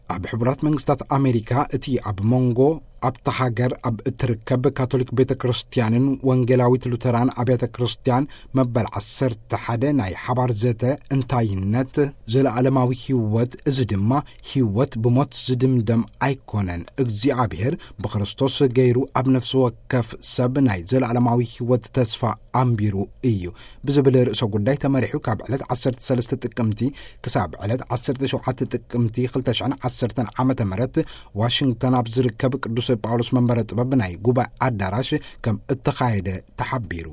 ኣብ ሕቡራት መንግስታት ኣሜሪካ እቲ ኣብ መንጎ ኣብታ ሃገር ኣብ እትርከብ ካቶሊክ ቤተ ክርስቲያንን ወንጌላዊት ሉተራን ኣብያተ ክርስቲያን መበል ዓሰርተ ሓደ ናይ ሓባር ዘተ፣ እንታይነት ዘለዓለማዊ ህይወት፣ እዚ ድማ ህይወት ብሞት ዝድምደም ኣይኮነን፣ እግዚኣብሔር ብክርስቶስ ገይሩ ኣብ ነፍሲ ወከፍ ሰብ ናይ ዘለዓለማዊ ህይወት ተስፋ ኣንቢሩ እዩ ብዝብል ርእሰ ጉዳይ ተመሪሑ፣ ካብ ዕለት ዓሰርተ ሰለስተ ጥቅምቲ ክሳብ ዕለት ዓሰርተ ሸውዓተ ጥቅምቲ ክልተ ሽሕን ዓሰርተን ዓመተ ምህረት ዋሽንግተን ኣብ ዝርከብ ቅዱስ ጳውሎስ መንበረ ጥበብ ናይ ጉባኤ ኣዳራሽ ከም እተኻየደ ተሓቢሩ።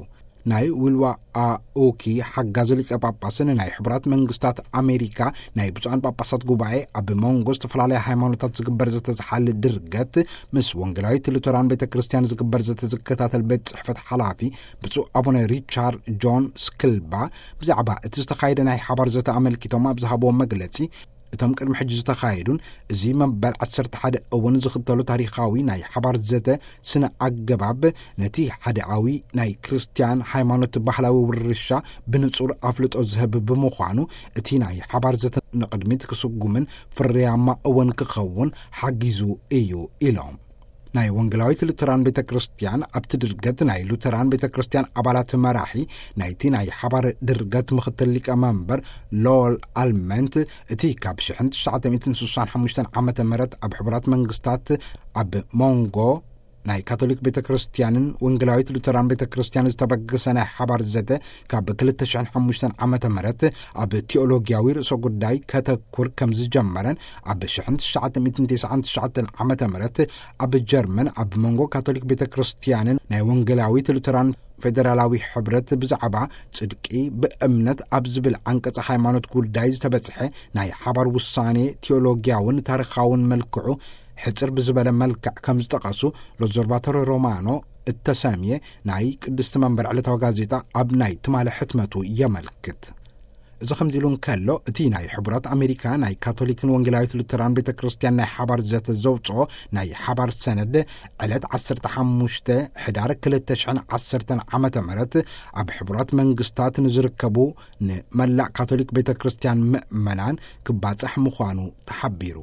ናይ ዊልዋ ኣኡኪ ሓጋዚ ሊቀ ጳጳስን ናይ ሕቡራት መንግስታት ኣሜሪካ ናይ ብፁዓን ጳጳሳት ጉባኤ ኣብ መንጎ ዝተፈላለያ ሃይማኖታት ዝግበር ዘተ ዝሓል ድርገት፣ ምስ ወንጌላዊት ሉተራን ቤተ ክርስቲያን ዝግበር ዘተ ዝከታተል ቤት ጽሕፈት ሓላፊ ብፁዕ ኣቡነ ሪቻርድ ጆን ስክልባ ብዛዕባ እቲ ዝተኻየደ ናይ ሓባር ዘተ ኣመልኪቶም ኣብ ዝሃብዎ መግለጺ፣ እቶም ቅድሚ ሕጂ ዝተኻየዱን እዚ መበል ዓሰርተ ሓደ እውን ዝኽተሉ ታሪኻዊ ናይ ሓባር ዘተ ስነ ኣገባብ፣ ነቲ ሓደኣዊ ናይ ክርስትያን ሃይማኖት ባህላዊ ውርሻ ብንጹር ኣፍልጦ ዝህብ ብምዃኑ፣ እቲ ናይ ሓባር ዘተ ንቕድሚት ክስጉምን ፍርያማ እውን ክኸውን ሓጊዙ እዩ ኢሎም። ናይ ወንጌላዊት ሉተራን ቤተ ክርስቲያን ኣብቲ ድርገት ናይ ሉተራን ቤተ ክርስቲያን ኣባላት መራሒ ናይቲ ናይ ሓባር ድርገት ምኽትል ሊቀ መንበር ሎል ኣልመንት፣ እቲ ካብ ሽሕን ትሽዓተ ሚእትን ስሳን ሓሙሽተን ዓመተ ምህረት ኣብ ሕቡራት መንግስታት ኣብ መንጎ ናይ ካቶሊክ ቤተ ክርስቲያንን ወንጌላዊት ሉተራን ቤተ ክርስቲያን ዝተበገሰ ናይ ሓባር ዘተ ካብ ክልተ ሽሕን ሓሙሽተን ዓመተ ምህረት ኣብ ቲኦሎጊያዊ ርእሰ ጉዳይ ከተኩር ከም ዝጀመረን፣ ኣብ ሽሕን ትሽዓተ ሚእትን ተስዓን ትሽዓተን ዓመተ ምህረት ኣብ ጀርመን ኣብ መንጎ ካቶሊክ ቤተ ክርስቲያንን ናይ ወንጌላዊት ሉተራን ፌደራላዊ ሕብረት ብዛዕባ ጽድቂ ብእምነት ኣብ ዝብል ዓንቀጽ ሃይማኖት ጉዳይ ዝተበጽሐ ናይ ሓባር ውሳኔ ቲኦሎጊያውን ታሪኻውን መልክዑ ሕጽር ብዝበለ መልክዕ ከም ዝጠቐሱ ሎዘርቫቶሪ ሮማኖ እተሰምየ ናይ ቅድስቲ መንበር ዕለታዊ ጋዜጣ ኣብ ናይ ትማሊ ሕትመቱ የመልክት። እዚ ከምዚ ኢሉ እንከሎ፣ እቲ ናይ ሕቡራት ኣሜሪካ ናይ ካቶሊክን ወንጌላዊት ሉተራን ቤተ ክርስቲያን ናይ ሓባር ዘተ ዘውፅኦ ናይ ሓባር ሰነድ ዕለት ዓሰርተ ሓሙሽተ ሕዳር ክልተ ሽሕን ዓሰርተን ዓመተ ምህረት ኣብ ሕቡራት መንግስታት ንዝርከቡ ንመላእ ካቶሊክ ቤተ ክርስቲያን ምእመናን ክባፅሕ ምዃኑ ተሓቢሩ።